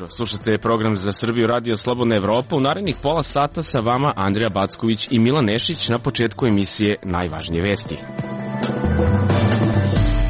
Slušate program za Srbiju Radio Slobodna Evropa. U narednih pola sata sa vama Andrija Backović i Milan Nešić. Na početku emisije najvažnije vesti.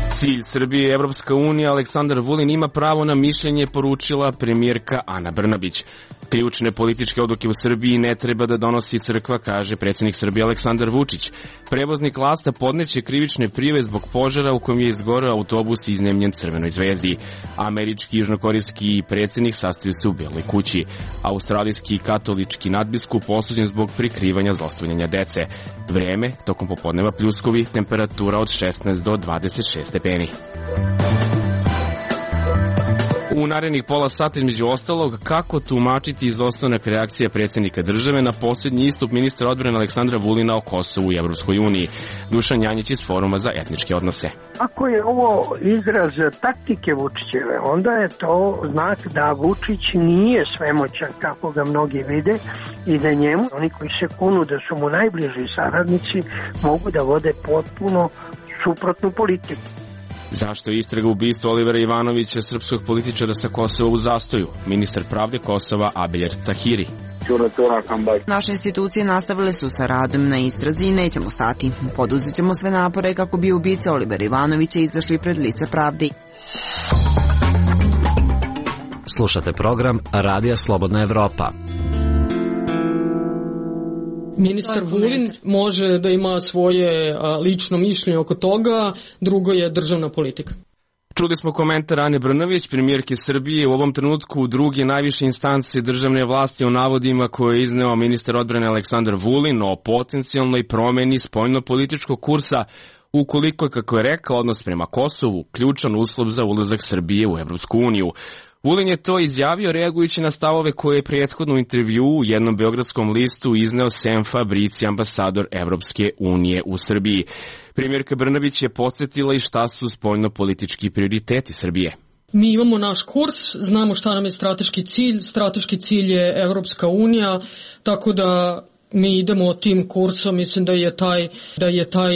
Cilj Srbije i Evropska unija, Aleksandar Vulin ima pravo na mišljenje, poručila premijerka Ana Brnabić. Ključne političke odluke u Srbiji ne treba da donosi crkva, kaže predsjednik Srbije Aleksandar Vučić. Prevoznik Lasta podneće krivične prijave zbog požara u kojem je izgoreo autobus iznemljen Crvenoj zvezdi. Američki i južnokorejski predsjednik sastaju se u Beloj kući. Australijski katolički nadbiskup osuđen zbog prikrivanja zlostavljanja dece. Vreme, tokom popodneva pljuskovi, temperatura od 16 do 26 stepeni. U narednih pola sata, između ostalog, kako tumačiti izostanak reakcije predsjednika države na posljednji istup ministra odbrane Aleksandra Vulina o Kosovu i Evropskoj uniji. Dušan Janjić iz Foruma za etničke odnose. Ako je ovo izraz taktike Vučićeve, onda je to znak da Vučić nije svemoćan kako ga mnogi vide i da njemu, oni koji se kunu da su mu najbliži saradnici, mogu da vode potpuno suprotnu politiku. Zašto je istraga ubistva Olivera Ivanovića, srpskog političara sa Kosova, u zastoju? Ministar pravde Kosova Abeljer Tahiri. Naše institucije nastavile su sa radom na istrazi i nećemo stati. Poduzet ćemo sve napore kako bi ubice Olivera Ivanovića izašli pred lice pravde. Slušate program Radija Slobodna Evropa. Ministar Vulin može da ima svoje lično mišljenje oko toga, drugo je državna politika. Čuli smo komentar Ane Brnabić, premijerke Srbije, u ovom trenutku druge najviše instance državne vlasti o navodima koje je izneo ministar odbrane Aleksandar Vulin o potencijalnoj promeni spoljno-političkog kursa, ukoliko je, kako je rekao, odnos prema Kosovu ključan uslov za ulazak Srbije u Evropsku uniju. Vulin je to izjavio reagujući na stavove koje je prethodno u intervju u jednom beogradskom listu izneo Sem Fabrici, ambasador Evropske unije u Srbiji. Premijerka Brnabić je podsjetila i šta su spoljno-politički prioriteti Srbije. Mi imamo naš kurs, znamo šta nam je strateški cilj je Evropska unija, tako da mi idemo tim kursom, mislim da je taj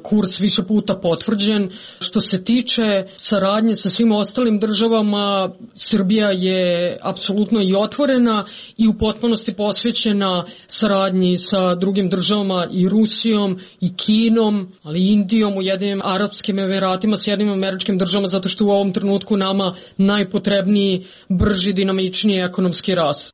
kurs više puta potvrđen. Što se tiče saradnje sa svim ostalim državama, Srbija je apsolutno i otvorena i u potpunosti posvećena saradnji sa drugim državama, i Rusijom, i Kinom, ali i Indijom, Ujedinjenim Arapskim Emiratima, Sjedinjenim Američkim Državama, zato što u ovom trenutku nama najpotrebniji, brži, dinamičniji ekonomski rast.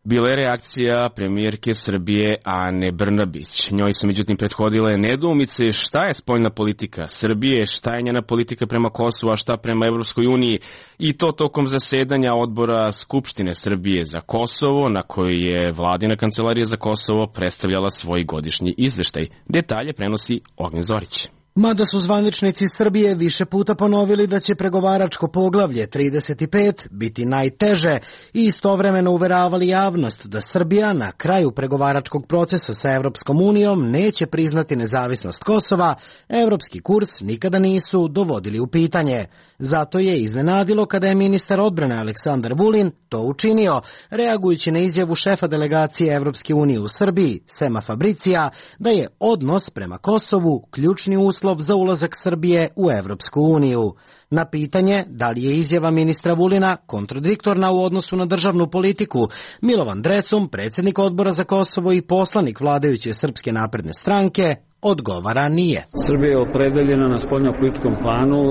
Bila je reakcija premijerke Srbije Ane Brnabić. Njoj su međutim prethodile nedoumice šta je spoljna politika Srbije, šta je njena politika prema Kosovu, a šta prema Evropskoj uniji, i to tokom zasedanja odbora Skupštine Srbije za Kosovo, na kojoj je vladina kancelarija za Kosovo predstavljala svoj godišnji izveštaj. Detalje prenosi Ognjen Zorić. Mada su zvaničnici Srbije više puta ponovili da će pregovaračko poglavlje 35 biti najteže i istovremeno uveravali javnost da Srbija na kraju pregovaračkog procesa sa Evropskom unijom neće priznati nezavisnost Kosova, evropski kurs nikada nisu dovodili u pitanje. Zato je iznenadilo kada je ministar odbrane Aleksandar Vulin to učinio, reagujući na izjavu šefa delegacije Evropske unije u Srbiji, Sema Fabricija, da je odnos prema Kosovu ključni uslov za ulazak Srbije u Evropsku uniju. Na pitanje da li je izjava ministra Vulina kontradiktorna u odnosu na državnu politiku, Milovan Drecun, predsjednik odbora za Kosovo i poslanik vladajuće Srpske napredne stranke, odgovara nije. Srbija je opredeljena na spoljnopolitičkom planu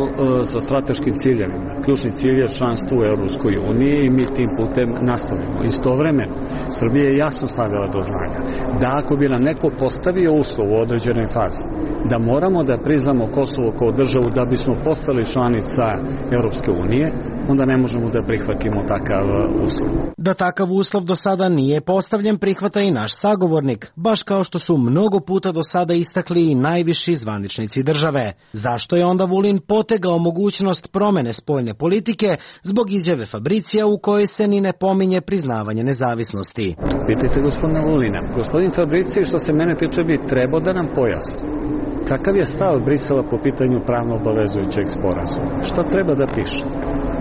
sa strateškim ciljevima. Ključni cilj je članstvo u Evropskoj uniji i mi tim putem nastavljamo. Istovremeno, Srbija je jasno stavila do znanja da ako bi nam neko postavio uslov u određenoj fazi, da moramo da priznamo Kosovo kao državu da bismo postali članica Evropske unije, onda ne možemo da prihvatimo takav uslov. Da takav uslov do sada nije postavljen, prihvata i naš sagovornik, baš kao što su mnogo puta do sada istakli i najviši zvaničnici države. Zašto je onda Vulin potegao mogućnost promene spoljne politike zbog izjave Fabricija u kojoj se ni ne pominje priznavanje nezavisnosti? Pitajte gospodina Vulina. Gospodin Fabricija, što se mene tiče, bi trebao da nam pojasni kakav je stav Brisela po pitanju pravno obavezujućeg sporazuma. Šta treba da piše?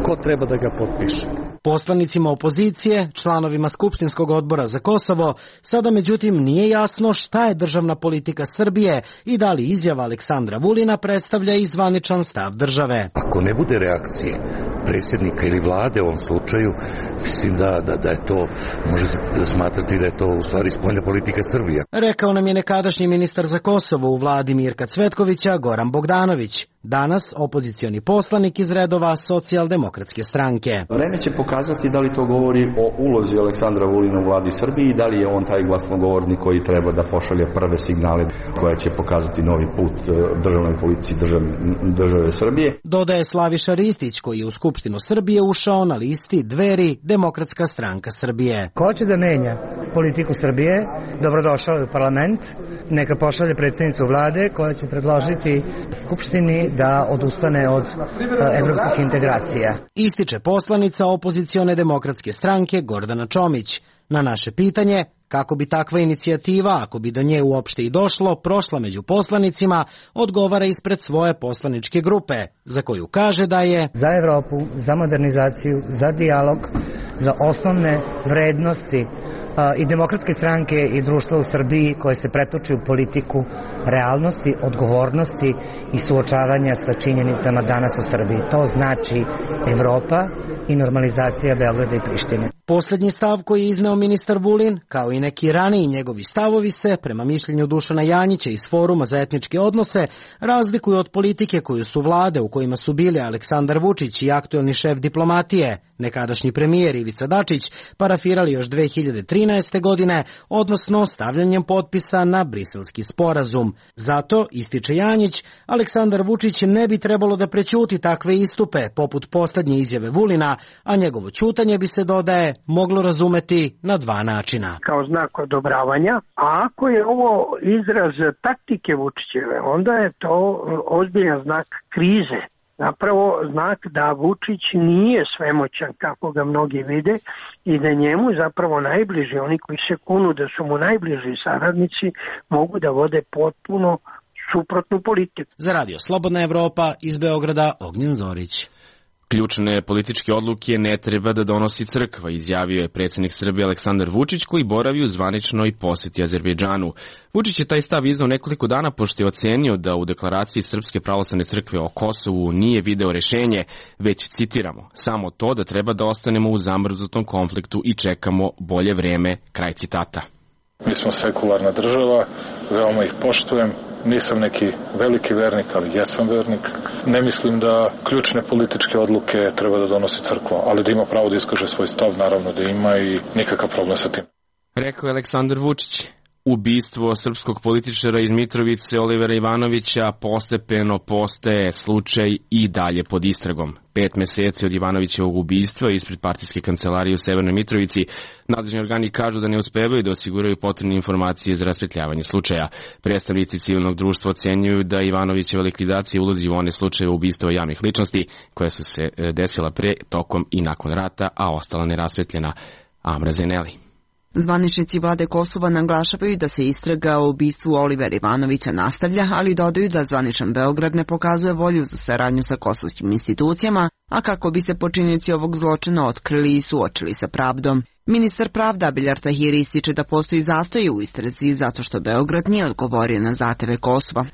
Ko treba da ga potpiše? Poslanicima opozicije, članovima Skupštinskog odbora za Kosovo, sada međutim nije jasno šta je državna politika Srbije i da li izjava Aleksandra Vulina predstavlja i zvaničan stav države. Ako ne bude reakcije predsjednika ili vlade u ovom slučaju, mislim da je to, može smatrati da je to u stvari spoljna politika Srbije. Rekao nam je nekadašnji ministar za Kosovo u vladi Mirka Cvetkovića, Goran Bogdanović. Danas opozicioni poslanik iz redova Socijaldemokratske stranke. Vreme će pokazati da li to govori o ulozi Aleksandra Vulina u vladi Srbije i da li je on taj glasnogovornik koji treba da pošalje prve signale koje će pokazati novi put državnoj policiji države Srbije. Dodaje Slaviša Ristić, koji je u Skupštinu Srbije ušao na listi Dveri, Demokratska stranka Srbije. Ko hoće da menja politiku Srbije, dobrodošao je u parlament, neka pošalje predsjednicu vlade koja će predložiti Skupštini da odustane od evropskih integracija. Ističe poslanica opozicione demokratske stranke Gordana Čomić. Na naše pitanje kako bi takva inicijativa, ako bi do nje uopšte i došlo, prošla među poslanicima, odgovara ispred svoje poslaničke grupe, za koju kaže da je za Evropu, za modernizaciju, za dijalog, za osnovne vrednosti i demokratske stranke i društva u Srbiji koje se pretoči u politiku realnosti, odgovornosti i suočavanja sa činjenicama danas u Srbiji. To znači Evropa i normalizacija Beograda i Prištine. Posljednji stav koji je izneo ministar Vulin, kao i neki raniji njegovi stavovi se, prema mišljenju Dušana Janjića iz Foruma za etničke odnose, razlikuju od politike koju su vlade u kojima su bili Aleksandar Vučić i aktuelni šef diplomatije, nekadašnji premijer Ivica Dačić, parafirali još 2013. godine, odnosno stavljanjem potpisa na Briselski sporazum. Zato, ističe Janjić, Aleksandar Vučić ne bi trebalo da prećuti takve istupe, poput posljednje izjave Vulina, a njegovo ćutanje bi se, dodaje, moglo razumeti na dva načina. Kao znak odobravanja, a ako je ovo izraz taktike Vučićeve, onda je to ozbiljan znak krize. Zapravo znak da Vučić nije svemoćan kako ga mnogi vide i da njemu zapravo najbliži, oni koji se kunu da su mu najbliži saradnici, mogu da vode potpuno suprotnu politiku. Za Radio Slobodna Evropa iz Beograda, Ognjen Zorić. Ključne političke odluke ne treba da donosi crkva, izjavio je predsjednik Srbije Aleksandar Vučić, koji boravi u zvaničnoj posjeti Azerbejdžanu. Vučić je taj stav iznao nekoliko dana pošto je ocenio da u deklaraciji Srpske pravoslavne crkve o Kosovu nije video rešenje, već, citiramo, samo to da treba da ostanemo u zamrznutom konfliktu i čekamo bolje vreme, kraj citata. Mi smo sekularna država, veoma ih poštujem. Nisam neki veliki vernik, ali jesam vernik. Ne mislim da ključne političke odluke treba da donosi crkva, ali da ima pravo da iskaže svoj stav, naravno da ima i nikakav problem sa tim. Rekao je Aleksandar Vučić. Ubistvo srpskog političara iz Mitrovice Olivera Ivanovića postepeno postaje slučaj i dalje pod istragom. 5 meseci od Ivanovićevog ubistva ispred partijske kancelarije u Severnoj Mitrovici, nadležni organi kažu da ne uspevaju da osiguraju potrebne informacije za rasvetljavanje slučaja. Predstavnici civilnog društva ocenjuju da Ivanovićeva likvidacija ulazi u one slučajeve ubistava javnih ličnosti koje su se desila pre, tokom i nakon rata, a ostala nerasvetljena. Amra Zeneli. Zvaničnici vlade Kosova naglašavaju da se istraga o ubistvu Olivera Ivanovića nastavlja, ali dodaju da zvaničan Beograd ne pokazuje volju za saradnju sa kosovskim institucijama, a kako bi se počinioci ovog zločina otkrili i suočili sa pravdom. Ministar pravda Abiljard Tahiri ističe da postoji zastoj u istrazi zato što Beograd nije odgovorio na zahteve Kosova.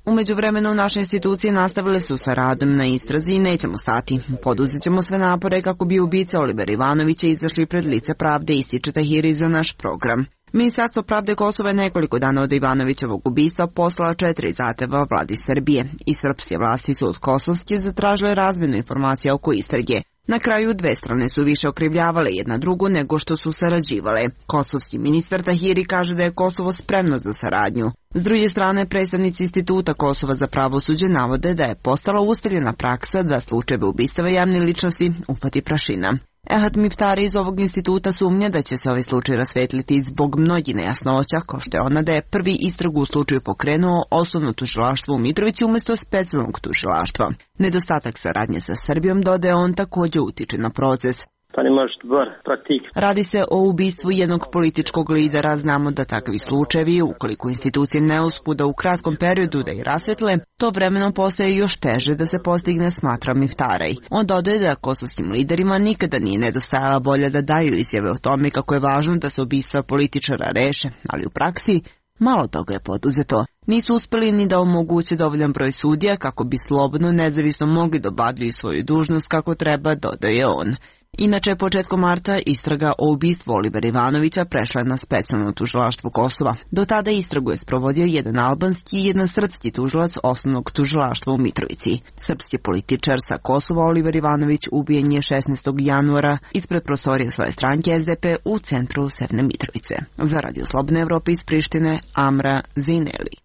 U međuvremenu naše institucije nastavile su sa radom na istrazi i nećemo stati. Poduzet ćemo sve napore kako bi ubice Olivera Ivanovića izašli pred lice pravde, ističe Tahiri za naš program. Ministarstvo pravde Kosova je nekoliko dana od Ivanovićevog ubistva poslala 4 zahteva vladi Srbije i srpske vlasti su od kosovske zatražile razmjenu informacija oko istrage. Na kraju dve strane su više okrivljavale jedna drugu nego što su sarađivale. Kosovski ministar Tahiri kaže da je Kosovo spremno za saradnju. S druge strane, predstavnici Instituta Kosova za pravosuđe navode da je postala ustaljena praksa da slučajeve ubistava javne ličnosti uhvati prašina. Ehad Miftari iz ovog instituta sumnja da će se ovaj slučaj rasvetliti zbog mnogih nejasnoća, kao što je ona da je prvi istragu u slučaju pokrenuo osnovno tužilaštvo u Mitrovici umjesto specijalnog tužilaštva. Nedostatak saradnje sa Srbijom, dodaje on, također utiče na proces. Radi se o ubistvu jednog političkog lidera. Znamo da takvi slučajevi, ukoliko institucije ne uspu da u kratkom periodu da ih rasvetle, to vremenom postaje još teže da se postigne, smatra Miftaraj. On dodaje da kosovskim liderima nikada nije nedostajala volja da daju izjave o tome kako je važno da se ubistva političara reše, ali u praksi malo toga je poduzeto. Nisu uspeli ni da omoguće dovoljan broj sudija kako bi slobodno nezavisno mogli da obavljaju svoju dužnost kako treba, dodaje on. Inače, početkom marta istraga o ubistvu Olivera Ivanovića prešla je na specijalno tužilaštvo Kosova. Do tada istragu je sprovodio jedan albanski i jedan srpski tužilac osnovnog tužilaštva u Mitrovici. Srpski političar sa Kosova Oliver Ivanović ubijen je 16. januara ispred prostorije svoje stranke SDP u centru Severne Mitrovice. Za Radio Slobodne Evrope iz Prištine, Amra Zineli.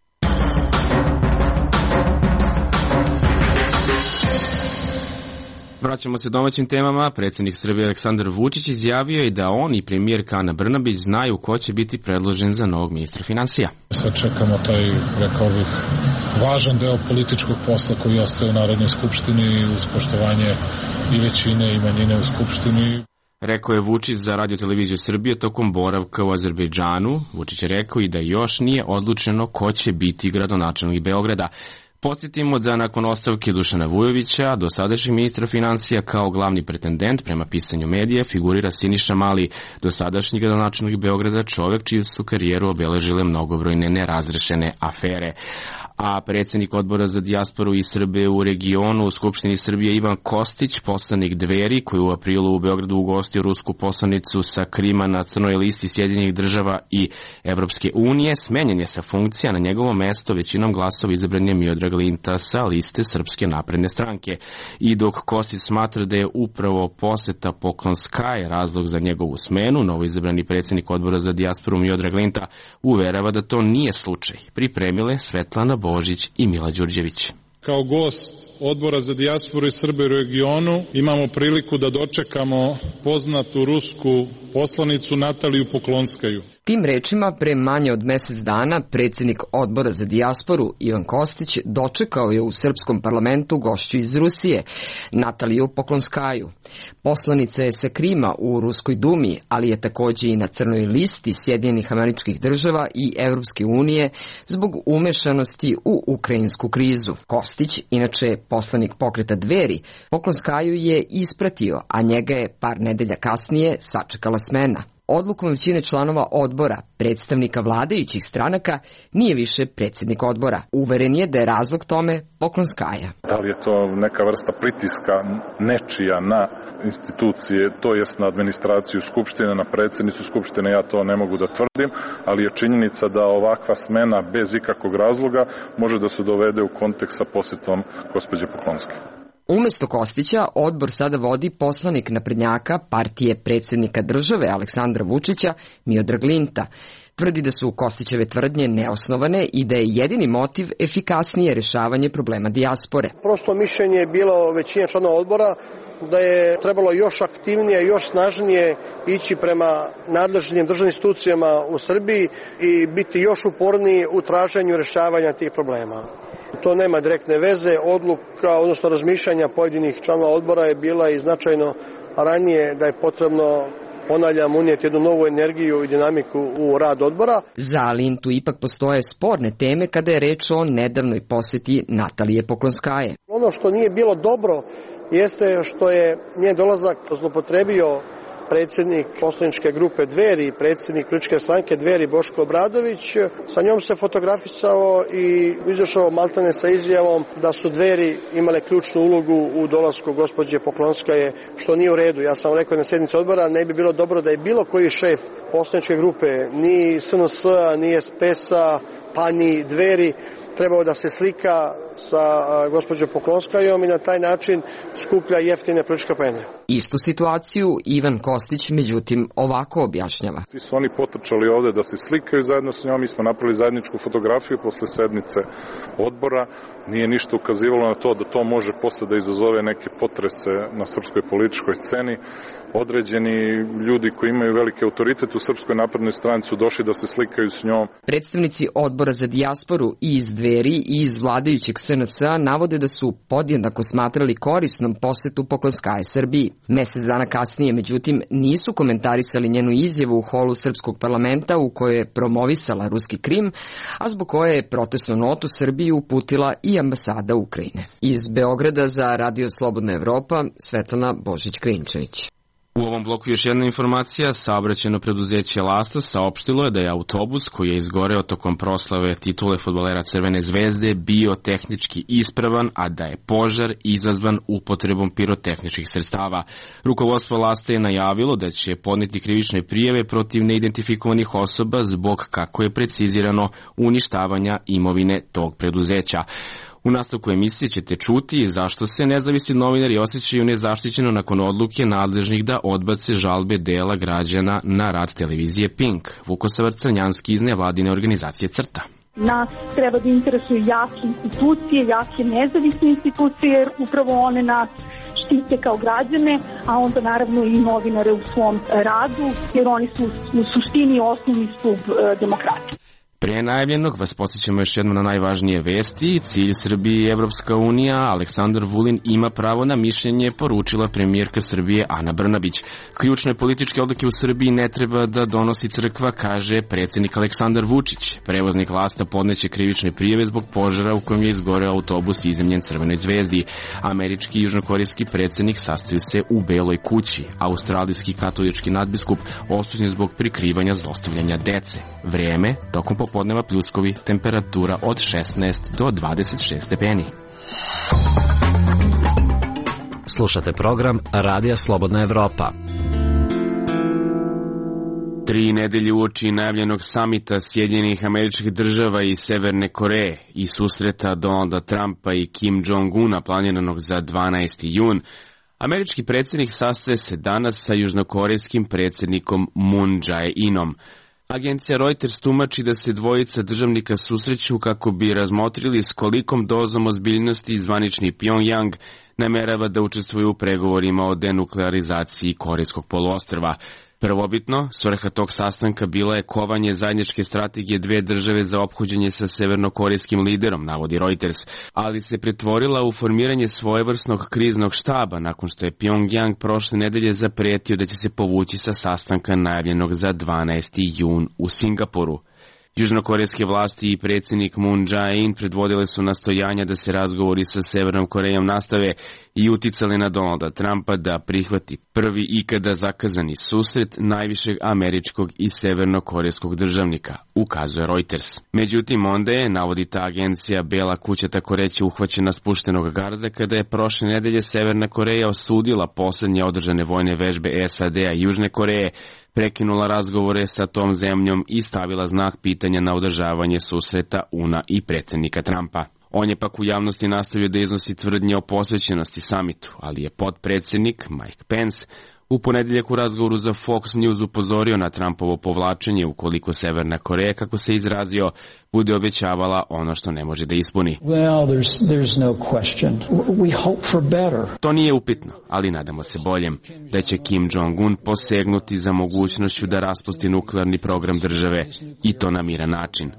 Vraćamo se domaćim temama. Predsjednik Srbije Aleksandar Vučić izjavio je da on i premijerka Ana Brnabić znaju ko će biti predložen za novog ministra finansija. Sad čekamo taj, rekao bih, važan deo političkog posla koji ostaje u Narodnoj skupštini uz poštovanje i većine i manjine u skupštini. Rekao je Vučić za Radio televiziju Srbije tokom boravka u Azerbejdžanu. Vučić je rekao i da još nije odlučeno ko će biti gradonačelnik Beograda. Podsjetimo da nakon ostavke Dušana Vujovića, dosadašnjeg ministra finansija kao glavni pretendent prema pisanju medija, figurira Siniša Mali, dosadašnji gradonačelnik Beograda, čovjek čiju su karijeru obeležile mnogobrojne nerazrešene afere. A predsjednik odbora za dijasporu i Srbe u regionu u Skupštini Srbije Ivan Kostić, poslanik Dveri, koji u aprilu u Beogradu ugostio rusku poslanicu sa Krima na crnoj listi Sjedinjenih država i Evropske unije, smenjen je sa funkcija. Na njegovo mesto većinom glasova izabran je Miodrag Linta sa liste Srpske napredne stranke. I dok Kostić smatra da je upravo poseta Poklonskaje razlog za njegovu smenu, novoizabrani predsjednik odbora za dijasporu Miodrag Linta uverava da to nije slučaj. Pripremile Svetlana Božić i Mila Đurđević. Kao gost Odbora za dijasporu i Srbe u regionu imamo priliku da dočekamo poznatu rusku poslanicu Nataliju Poklonskaju. Tim rečima, pre manje od mesec dana, predsjednik Odbora za dijasporu Ivan Kostić dočekao je u srpskom parlamentu gošću iz Rusije, Nataliju Poklonskaju. Poslanica je sa Krima u Ruskoj dumi, ali je takođe i na crnoj listi Sjedinjenih Američkih država i Evropske unije zbog umešanosti u ukrajinsku krizu. Kostić, inače poslanik pokreta Dveri, Poklonskaju je ispratio, a njega je par nedelja kasnije sačekala smena. Odlukom većine članova odbora, predstavnika vladajućih stranaka, nije više predsjednik odbora. Uveren je da je razlog tome Poklonskaja. Da li je to neka vrsta pritiska nečija na institucije, to jest na administraciju Skupštine, na predsjednicu Skupštine, ja to ne mogu da tvrdim, ali je činjenica da ovakva smena bez ikakvog razloga može da se dovede u kontekst sa posjetom gospođe Poklonske. Umesto Kostića, odbor sada vodi poslanik naprednjaka partije predsjednika države Aleksandra Vučića, Miodrag Linta. Tvrdi da su Kostićeve tvrdnje neosnovane i da je jedini motiv efikasnije rešavanje problema dijaspore. Prosto mišljenje je bilo većina članova odbora da je trebalo još aktivnije, još snažnije ići prema nadležnim državnim institucijama u Srbiji i biti još uporniji u traženju rešavanja tih problema. To nema direktne veze, odluka, odnosno razmišljanja pojedinih članova odbora je bila i značajno ranije da je potrebno, ponavljam, unijeti jednu novu energiju i dinamiku u rad odbora. Za Lintu ipak postoje sporne teme kada je reč o nedavnoj poseti Natalije Poklonskaje. Ono što nije bilo dobro jeste što je njen dolazak zlopotrebio predsjednik poslaničke grupe Dveri, predsjednik političke stranke Dveri Boško Obradović. Sa njom se fotografisao i izašao maltene sa izjavom da su Dveri imale ključnu ulogu u dolasku gospođe Poklonskaje, što nije u redu. Ja sam rekao na sjednici odbora, ne bi bilo dobro da je bilo koji šef poslaničke grupe, ni SNS-a, ni SPS-a, pa ni Dveri, trebao da se slika sa gospođom Poklonskajom i na taj način skuplja jeftine političke poene. Istu situaciju Ivan Kostić, međutim, ovako objašnjava. Svi su oni potrčali ovde da se slikaju zajedno s njom, mi smo napravili zajedničku fotografiju posle sednice odbora. Nije ništa ukazivalo na to da to može posle da izazove neke potrese na srpskoj političkoj sceni. Određeni ljudi koji imaju veliki autoritet u Srpskoj naprednoj stranci su došli da se slikaju s njom. Predstavnici odbora za dijasporu i iz Dveri i iz vladajućeg SNS-a navode da su podjednako smatrali korisnom posetu Poklonskaje Srbiji. Mesec dana kasnije, međutim, nisu komentarisali njenu izjavu u holu Srpskog parlamenta u kojoj je promovisala ruski Krim, a zbog koje je protestnu notu Srbiji uputila i ambasada Ukrajine. Iz Beograda za Radio Slobodna Evropa, Svetlana Božić-Krinčević. U ovom bloku još jedna informacija. Saobraćajno preduzeće Lasta saopštilo je da je autobus koji je izgoreo tokom proslave titule fudbalera Crvene zvezde bio tehnički ispravan, a da je požar izazvan upotrebom pirotehničkih sredstava. Rukovodstvo Lasta je najavilo da će podneti krivične prijave protiv neidentifikovanih osoba zbog, kako je precizirano, uništavanja imovine tog preduzeća. U nastavku emisije ćete čuti zašto se nezavisni novinari osjećaju nezaštićeno nakon odluke nadležnih da odbace žalbe dela građana na rad televizije Pink. Vukosavar Crnjanski iz nevladine organizacije CRTA. Nas treba da interesuju jake institucije, jake nezavisne institucije, jer upravo one nas štite kao građane, a onda naravno i novinare u svom radu, jer oni su u suštini osnovni stub demokratije. Pre najavljenog vas podsjećamo još jedno na najvažnije vesti. Cilj Srbije i Evropska unija. Aleksandar Vulin ima pravo na mišljenje, poručila premijerka Srbije Ana Brnabić. Ključne političke odluke u Srbiji ne treba da donosi crkva, kaže predsjednik Aleksandar Vučić. Prevoznik Lasta podneće krivične prijave zbog požara u kojem je izgoreo autobus izemljen Crvenoj zvezdi. Američki i južnokorejski predsjednik sastaju se u Beloj kući. Australijski katolički nadbiskup osuđen zbog prikrivanja zlostavljanja dece. Vrijeme tokom popodneva pljuskovi, temperatura od 16 do 26 stepeni. Slušate program Radija Slobodna Evropa. 3 nedelje uoči najavljenog samita Sjedinjenih Američkih Država i Severne Koreje i susreta Donalda Trumpa i Kim Jong-una planiranog za 12. jun, američki predsjednik sastaje se danas sa južnokorejskim predsjednikom Moon Jae-inom. Agencija Reuters tumači da se dvojica državnika susreću kako bi razmotrili s kolikom dozom ozbiljnosti zvanični Pyongyang namerava da učestvuje u pregovorima o denuklearizaciji Korejskog poluostrva. Prvobitno, svrha tog sastanka bila je kovanje zajedničke strategije dve države za ophođenje sa severnokorejskim liderom, navodi Reuters, ali se pretvorila u formiranje svojevrsnog kriznog štaba nakon što je Pyongyang prošle nedelje zapretio da će se povući sa sastanka najavljenog za 12. jun u Singapuru. Južnokorejske vlasti i predsjednik Moon Jae-in predvodile su nastojanja da se razgovori sa Severnom Korejom nastave i uticali na Donalda Trumpa da prihvati prvi ikada zakazani susret najvišeg američkog i severnokorejskog državnika, ukazuje Reuters. Međutim, onda je, navodi ta agencija, Bela kuća tako reći uhvaćena spuštenog garda kada je prošle nedelje Severna Koreja osudila poslednje održane vojne vežbe SAD-a i Južne Koreje, prekinula razgovore sa tom zemljom i stavila znak pitanja na održavanje susreta UNA i predsjednika Trumpa. On je pak u javnosti nastavio da iznosi tvrdnje o posvećenosti samitu, ali je potpredsjednik Mike Pence u ponedeljak u razgovoru za Fox News upozorio na Trumpovo povlačenje ukoliko Severna Koreja, kako se izrazio, bude obećavala ono što ne može da ispuni. To nije upitno, ali nadamo se boljem, da će Kim Jong-un posegnuti za mogućnošću da raspusti nuklearni program države i to na miran način,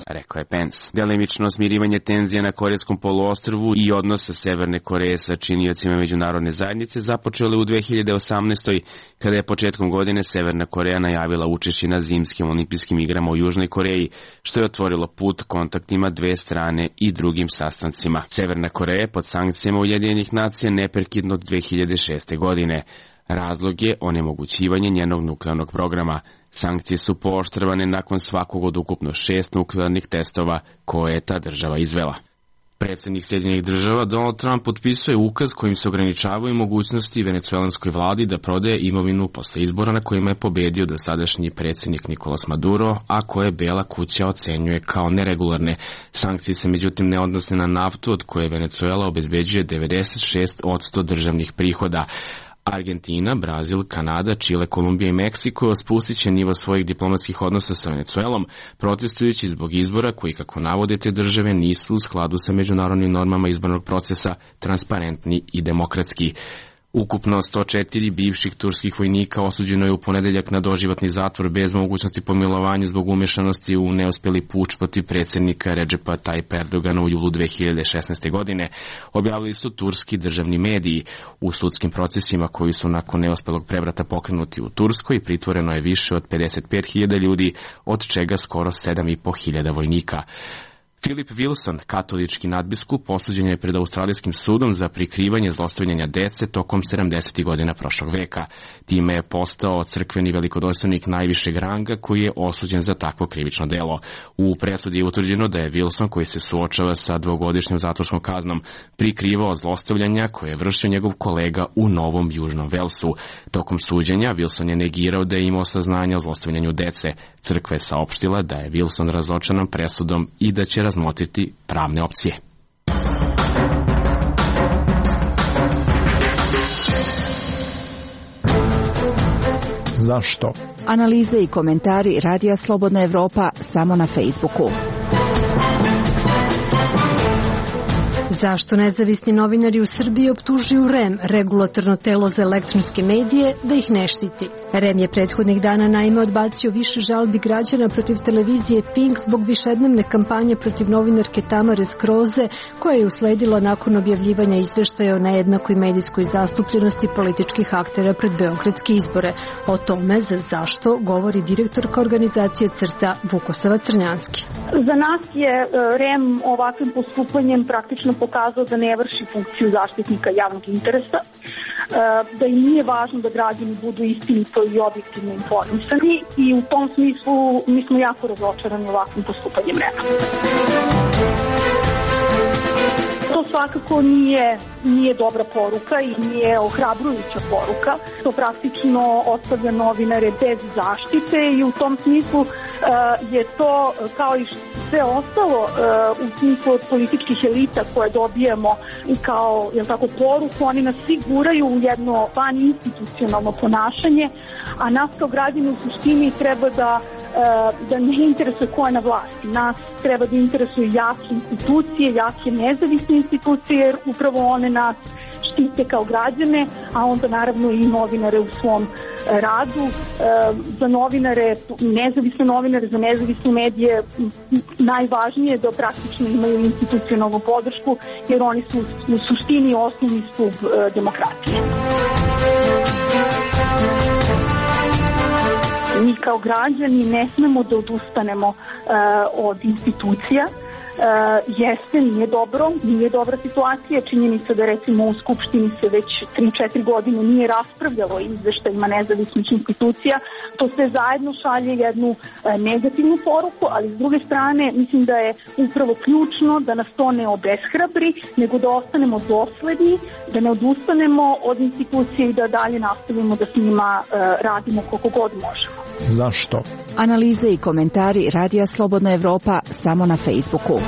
rekao je Pence. Delimično smirivanje tenzija na Korejskom poluostrvu i odnosa Severne Koreje sa činiocima međunarodne zajednice započele u 2018. kada je početkom godine Severna Koreja najavila učešće na zimskim olimpijskim igrama u Južnoj Koreji, što je otvorilo put kontaktima dve strane i drugim sastancima. Severna Koreja je pod sankcijama Ujedinjenih nacija neprekidno od 2006. godine. Razlog je onemogućivanje njenog nuklearnog programa. Sankcije su pooštravane nakon svakog od ukupno 6 nuklearnih testova koje je ta država izvela. Predsjednik Sjedinjenih Država Donald Trump potpisuje ukaz kojim se ograničavaju mogućnosti venecuelanskoj vladi da prodaje imovinu posle izbora na kojima je pobedio dosadašnji predsjednik Nicolas Maduro, a koje Bela kuća ocenjuje kao neregularne. Sankcije se međutim ne odnose na naftu od koje Venecuela obezbeđuje 96% državnih prihoda. Argentina, Brazil, Kanada, Čile, Kolumbija i Meksiko spustit će nivo svojih diplomatskih odnosa sa Venecuelom, protestujući zbog izbora koji, kako navode te države, nisu u skladu sa međunarodnim normama izbornog procesa, transparentni i demokratski. Ukupno 104 bivših turskih vojnika osuđeno je u ponedeljak na doživotni zatvor bez mogućnosti pomilovanja zbog umešanosti u neuspeli puč protiv predsjednika Redžepa Tajpa Erdogana u julu 2016. godine, objavili su turski državni mediji. U sudskim procesima koji su nakon neuspelog prevrata pokrenuti u Turskoj pritvoreno je više od 55.000 ljudi, od čega skoro 7.500 vojnika. Philip Wilson, katolički nadbiskup, osuđen je pred australijskim sudom za prikrivanje zlostavljanja dece tokom 70. godina prošlog veka. Time je postao crkveni velikodostojnik najvišeg ranga koji je osuđen za takvo krivično delo. U presudi je utvrđeno da je Wilson, koji se suočava sa dvogodišnjom zatvorskom kaznom, prikrivao zlostavljanja koje je vršio njegov kolega u Novom Južnom Velsu. Tokom suđenja Wilson je negirao da je imao saznanja o zlostavljanju dece. Crkva je saopštila da je Wilson razočaran presudom i da će razmotriti pravne opcije. Zašto? Analize i komentari Radija Slobodna Evropa samo na Facebooku. Zašto nezavisni novinari u Srbiji optužuju REM, regulatorno telo za elektronske medije, da ih ne štiti? REM je prethodnih dana naime odbacio više žalbi građana protiv televizije Pink zbog višednevne kampanje protiv novinarke Tamare Skroze, koja je usledila nakon objavljivanja izveštaja o nejednakoj medijskoj zastupljenosti političkih aktera pred beogradske izbore. O tome zašto govori direktorka organizacije CRTA Vukosava Crnjanski. Za nas je REM ovakvim postupanjem praktično pokazao da ne vrši funkciju zaštitnika javnog interesa, da im nije važno da građani budu istinito i objektivno informisani i u tom smislu mi smo jako razočarani ovakvim postupanjem REM-a. To svakako nije dobra poruka i nije ohrabrujuća poruka. To praktično ostavlja novinare bez zaštite i u tom smislu je to kao i sve ostalo u smislu od političkih elita koje dobijemo kao poruku, oni nas svi guraju u jedno vaninstitucionalno ponašanje, a nas kao građani u suštini treba da ne interesuje ko je na vlasti. Nas treba da interesuju jake institucije, jake nezavisne institucije, jer upravo one nas štite kao građane, a onda naravno i novinare u svom radu. Za novinare, nezavisne novinare, za nezavisne medije najvažnije je da praktično imaju institucionalnu podršku, jer oni su u suštini osnovni stub demokratije. Mi kao građani ne smemo da odustanemo od institucija. Jeste, nije dobra situacija. Činjenica da recimo u Skupštini se već 3-4 godine nije raspravljalo o izveštajima nezavisnih institucija. To sve zajedno šalje jednu negativnu poruku, ali s druge strane mislim da je upravo ključno da nas to ne obeshrabri, nego da ostanemo dosledni, da ne odustanemo od institucije i da dalje nastavimo da s njima radimo koliko god možemo. Zašto? Analize i komentari Radija Slobodna Evropa samo na Facebooku.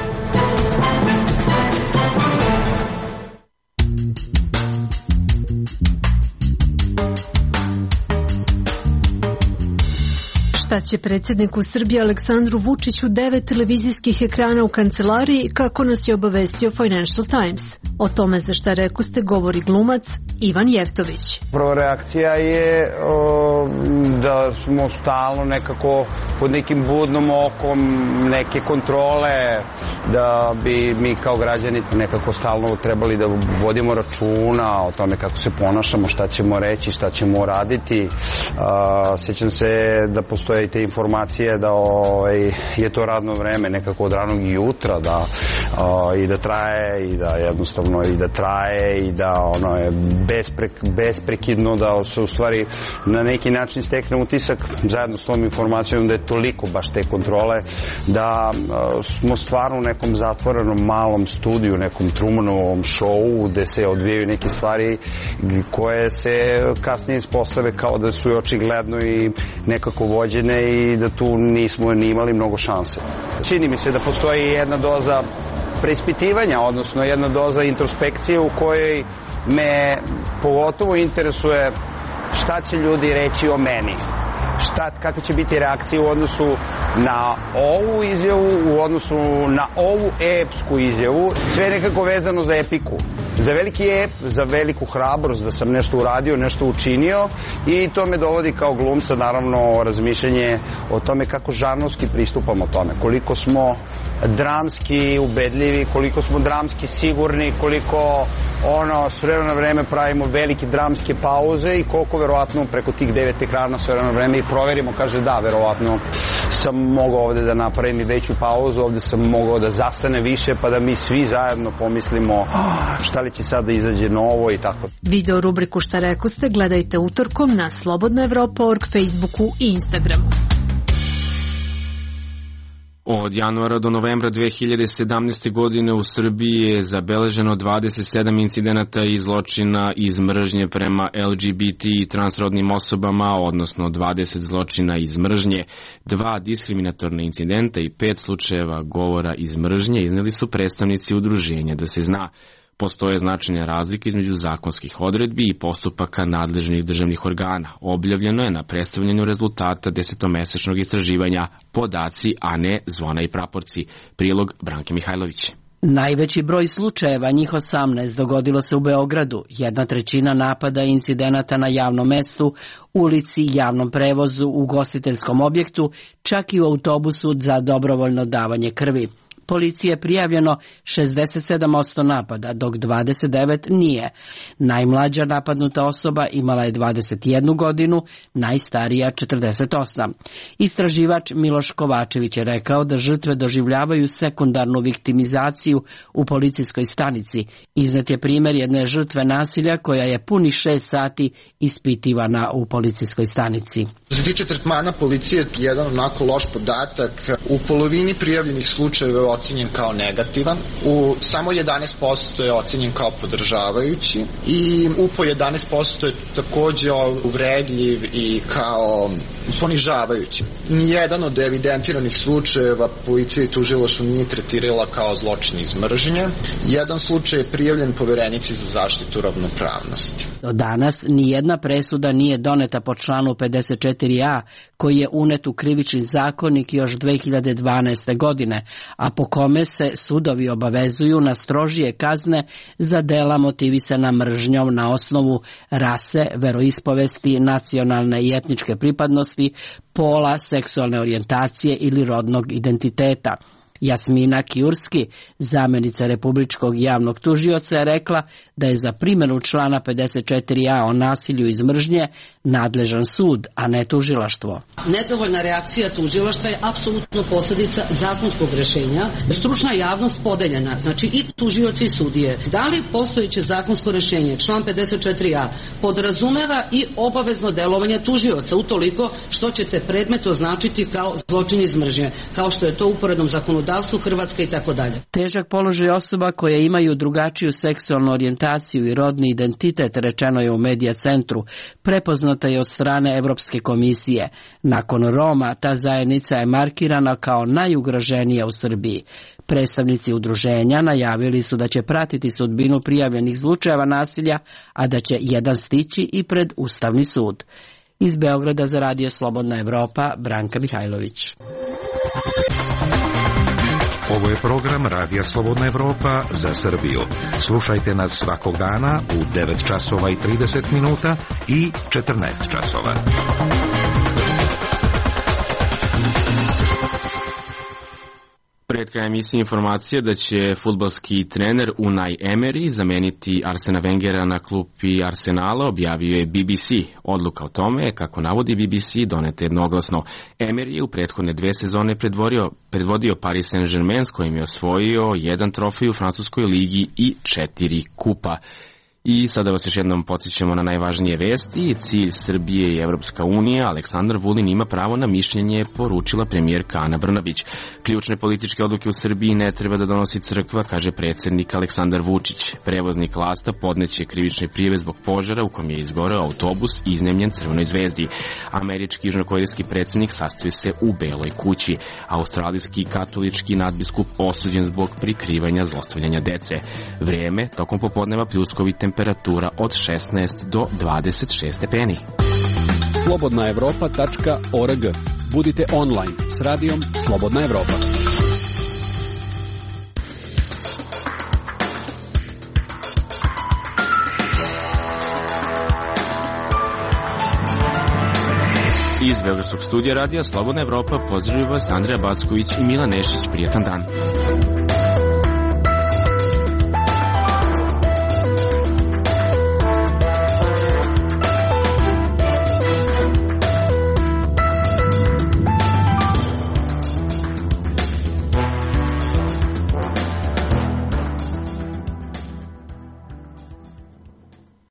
Šta će predsjedniku Srbije Aleksandru Vučiću 9 televizijskih ekrana u kancelariji, kako nas je obavestio Financial Times? O tome za šta rekoste govori glumac Ivan Jeftović. Prva reakcija je da smo stalno nekako pod nekim budnom okom, neke kontrole, da bi mi kao građani nekako stalno trebali da vodimo računa o tome kako se ponašamo, šta ćemo reći, šta ćemo raditi. Sjećam se da postoje i te informacije da je to radno vreme nekako od ranog jutra, da i da traje i da jednostavno i da traje i da ono je besprekidno, da se u stvari na neki način stekne utisak zajedno s tom informacijom da je toliko baš te kontrole da smo stvarno u nekom zatvorenom malom studiju, nekom Trumanovom šovu gde se odvijaju neke stvari koje se kasnije ispostave kao da su očigledno i nekako vođene i da tu nismo ni imali mnogo šanse. Čini mi se da postoji jedna doza preispitivanja, odnosno jedna doza introspekcije u kojoj me pogotovo interesuje šta će ljudi reći o meni. Kakve će biti reakcije u odnosu na ovu izjavu, u odnosu na ovu epsku izjavu, sve nekako vezano za epiku. za veliki ep, za veliku hrabrost da sam nešto uradio, nešto učinio i to me dovodi kao glumca naravno razmišljanje o tome kako žarnovski pristupamo tome, koliko smo dramski ubedljivi, koliko smo dramski sigurni, koliko s vremena na vreme pravimo velike dramske pauze i koliko verovatno preko tih 9 ekrana s vremena na vreme i proverimo, kaže da, verovatno sam mogao ovde da napravim i veću pauzu, ovde sam mogao da zastane više pa da mi svi zajedno pomislimo šta li će sad da izađe novo i tako. Video rubriku Šta rekoste gledajte utorkom na slobodnaevropa.org, Facebooku i Instagramu. Od januara do novembra 2017. godine u Srbiji je zabeleženo 27 incidenata i zločina iz mržnje prema LGBT i transrodnim osobama, odnosno 20 zločina iz mržnje, 2 diskriminatorne incidenta i 5 slučajeva govora iz mržnje izneli su predstavnici udruženja Da se zna. Postoje značajne razlike između zakonskih odredbi i postupaka nadležnih državnih organa. Objavljeno je na predstavljanju rezultata 10-mesečnog istraživanja Podaci, a ne zvona i praporci. Prilog Branke Mihajlović. Najveći broj slučajeva, njih 18, dogodilo se u Beogradu. 1/3 napada i incidenata na javnom mestu, ulici, javnom prevozu, ugostiteljskom objektu, čak i u autobusu za dobrovoljno davanje krvi. Policiji je prijavljeno 67% napada, dok 29 nije. Najmlađa napadnuta osoba imala je 21 godinu, najstarija 48. Istraživač Miloš Kovačević je rekao da žrtve doživljavaju sekundarnu viktimizaciju u policijskoj stanici. Iznet je primjer jedne žrtve nasilja koja je punih 6 sati ispitivana u policijskoj stanici. Što se tiče tretmana policije, jedan onako loš podatak, u polovini prijavljenih slučajeva je ocenjen kao negativan, u samo 11% je ocenjen kao podržavajući i po 11% je takođe uvredljiv i kao ponižavajući. Nijedan od evidentiranih slučajeva policija i tužilaštvo nije tretirala kao zločin iz mržnje. Jedan slučaj je prijavljen Poverenici za zaštitu ravnopravnosti. Do danas nijedna presuda nije doneta po članu 54a, koji je unet u krivični zakonik još 2012. godine, a po kome se sudovi obavezuju na strožije kazne za dela motivisana mržnjom na osnovu rase, veroispovesti, nacionalne i etničke pripadnosti, pola, seksualne orijentacije ili rodnog identiteta. Jasmina Kijurski, zamjenica Republičkog javnog tužioca, je rekla da je za primjenu člana 54a o nasilju iz mržnje nadležan sud, a ne tužilaštvo. Nedovoljna reakcija tužilaštva je apsolutno posljedica zakonskog rešenja. Stručna javnost podeljena, znači i tužioci i sudije. Da li postojeće zakonsko rešenje, član 54a, podrazumeva i obavezno delovanje tužioca, utoliko što ćete predmet označiti kao zločin iz mržnje, kao što je to u uporednom zakonodavstvu Hrvatske i tako dalje. Težak položaj osoba koje imaju drugačiju seksualnu orijentaciju i rodni identitet, rečeno je u Medija centru, prepoznata je od strane Evropske komisije. Nakon Roma, ta zajednica je markirana kao najugroženija u Srbiji. Predstavnici udruženja najavili su da će pratiti sudbinu prijavljenih slučajeva nasilja, a da će jedan stići i pred Ustavni sud. Iz Beograda za Radio Slobodna Evropa, Branka Mihajlović. Ovo je program Radija Slobodna Evropa za Srbiju. Slušajte nas svakog dana u 9 časova i 30 minuta i 14 časova. Pred krajem emisije informacije da će fudbalski trener Unai Emery zameniti Arsena Wengera na klupi Arsenala, objavio je BBC. Odluka o tome, kako navodi BBC, doneta jednoglasno. Emery je u prethodne 2 sezone predvodio Paris Saint-Germain, s kojim je osvojio 1 trofej u francuskoj ligi i 4 kupa. I sada vas još jednom podsjećamo na najvažnije vesti. Cilj Srbije i Evropska unija, Aleksandar Vulin ima pravo na mišljenje, poručila premijerka Ana Brnabić. Ključne političke odluke u Srbiji ne treba da donosi crkva, kaže predsjednik Aleksandar Vučić. Prevoznik Lasta podneće krivične prijave zbog požara u kojem je izgoreo autobus iznemljen Crvenoj zvezdi. Američki južnokorejski predsjednik sastoji se u Beloj kući. Australijski katolički nadbiskup osuđen zbog prikrivanja zlostavljanja dece. Vrijeme tokom popodneva pljuskovite temperatura od 16 do 26 stepeni. Slobodnaevropa.org. Budite online s radijom Slobodna Evropa. Iz Beogradskog studija radija Slobodna Evropa pozdravljaju vas Andreja Backović i Milan Nešić. Prijatan dan.